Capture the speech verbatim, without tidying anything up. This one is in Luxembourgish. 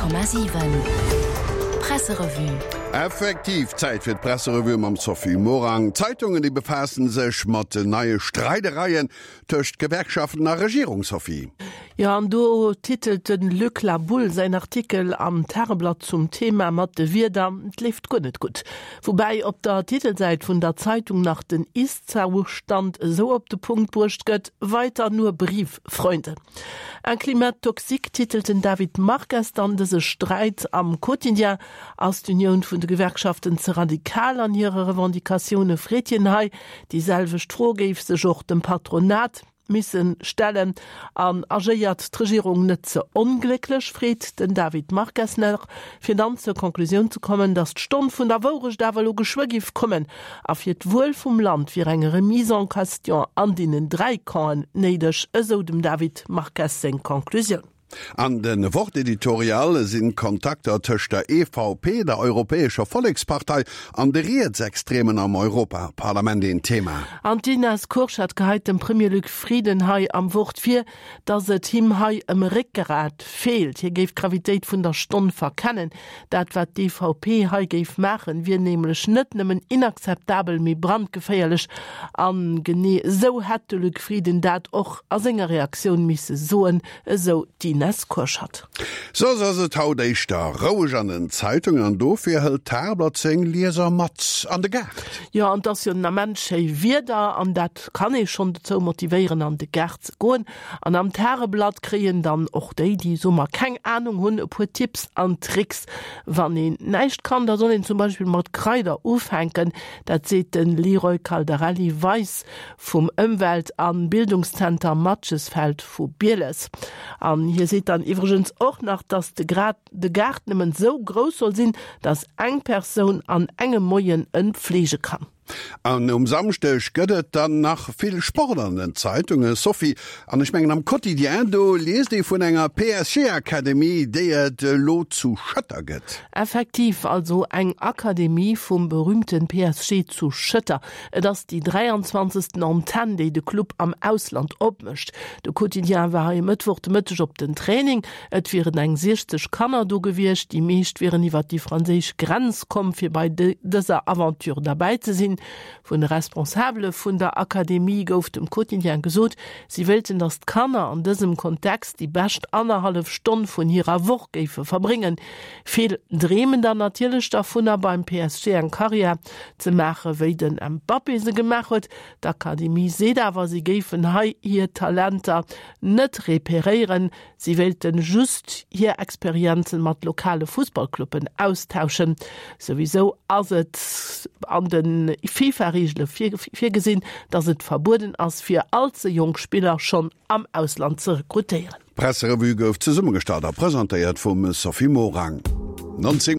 Komma siwen Presserevue. Effektiv, Zäit fir d'Presserevue mam Sophie Morang. D'Zeitungen, déi befaassen sech mat den neie Streidereien tëscht Gewerkschaften a Regierung, Sophie. Jo, an do titelt de Luc La Boule säin Artikel am Tageblatt zum Thema mat de Wierder Et leeft guer net gutt. Woubäi op der Titelsäit vun der Zeitung nach den Ist-Zoustand esou op de Punkt bruecht gëtt, Weiter nur Brieffreunde. Un climat toxique titelt den David Marques dann dëse Sträit am Quotidien. Ass d'Unioun vun de Gewerkschaften ze radikal an hire Revendicatioune, freet hien hei. Déi selwecht Fro géif sech och dem Patronat misse stellen. An agéiert d'Regierung net ze onglécklech, freet den David Marques nach, fir dann zur Conclusioun ze kommen, datt d'Stonn vun der Wourecht awer elo geschwë géif kommen a fir d'Wuel vum Land wier eng Remise en question an deenen dräi Campen néideg, esou dem David Marques seng Conclusioun. An de Wort-Editorial sinn d'Kontakter tëscht der E V P, der Europäescher Vollekspartei, an de Rietsextremen am Europaparlament een Thema. An d'Ines Kurschat geheit dem Premier Luc Frieden hei am Wort vir, datt et him hei ëm Réckgrat feelt. Hie géif d'Gravitéit vun der Stonn verkennen. Dat wat d'E V P hei géif maachen, wier nämlech net nëmmen inakzeptabel, mee brandgeféierlech. A genee esou hätt de Luc Frieden dat och a senger Reaktioun misse soen, esou d'Ines Kurschat. Soss ass et haut éischter roueg an den Zeitungen an dofir hëlt d'Tageblatt seng Lieser mat an de Gaart. Jo, an et ass jo den Ament schéi Wieder an dat kann ee schonn dozou motivéieren an de Gaart ze goen. An am Tageblatt kréien dann och déi, déi soe mer keng Anung hunn, e puer Tipps an Tricks. Wann een näischt kann, da soll een zum Beispill mat Kraider ufänken. Dat seet de Leroy Caldarelli-Weis vum Ëmwelt a Bildungszenter Matgesfeld vu Bieles. An hie seet dann iwwregens och nach, dass de Grad de Gaart nëmmen esou grouss soll sinn, dass eng Persoun an engem Moien en pflege kann. An um Samschdeg gëtt et dann nach vill Sport an den Zeitungen, Sophie. An ech mengen am Quotidien, do liest ee vun enger P S G Akademie, déi et elo zu Schëtter gëtt. Effektiv, also eng Akademie vum berühmten P S G zu Schëtter. Et ass déi dräianzwanzegsten Antenn, déi de Club am Ausland opmécht. De Quotidien war hei e Mëttwoch de Mëtteg op den Training. Et wieren eng siechzeg Kanner do gewiescht. Déi meescht wieren iwwer déi franséisch Grenz komm, fir bei dëser Aventure derbäi ze sinn. Vun de Responsabele vun der Akademie gouf dem Quotidien gesot, si wéilten, datt d'Kanner an dësem Kontext déi bescht annerhallef Stonn vun hirer Woch géife verbréngen. Vill dreemen dann natierlech dervunner, beim P S G eng Karriär ze maachen, wéi den Mbappé se gemaach huet. D'Akademie seet awer, si géifen hei hir Talenter net reperéieren. Si wéilten just hir Experienzen mat lokale Fussballcluben austauschen. Souwisou ass et an de FIFA-Reegele virgesinn, datt et verbueden ass, fir all ze jonk Spiller schonn am Ausland ze rekrutéieren. D'Presserevue gouf zesummegestallt a presentéiert vum Sophie Morang. Nonzéng.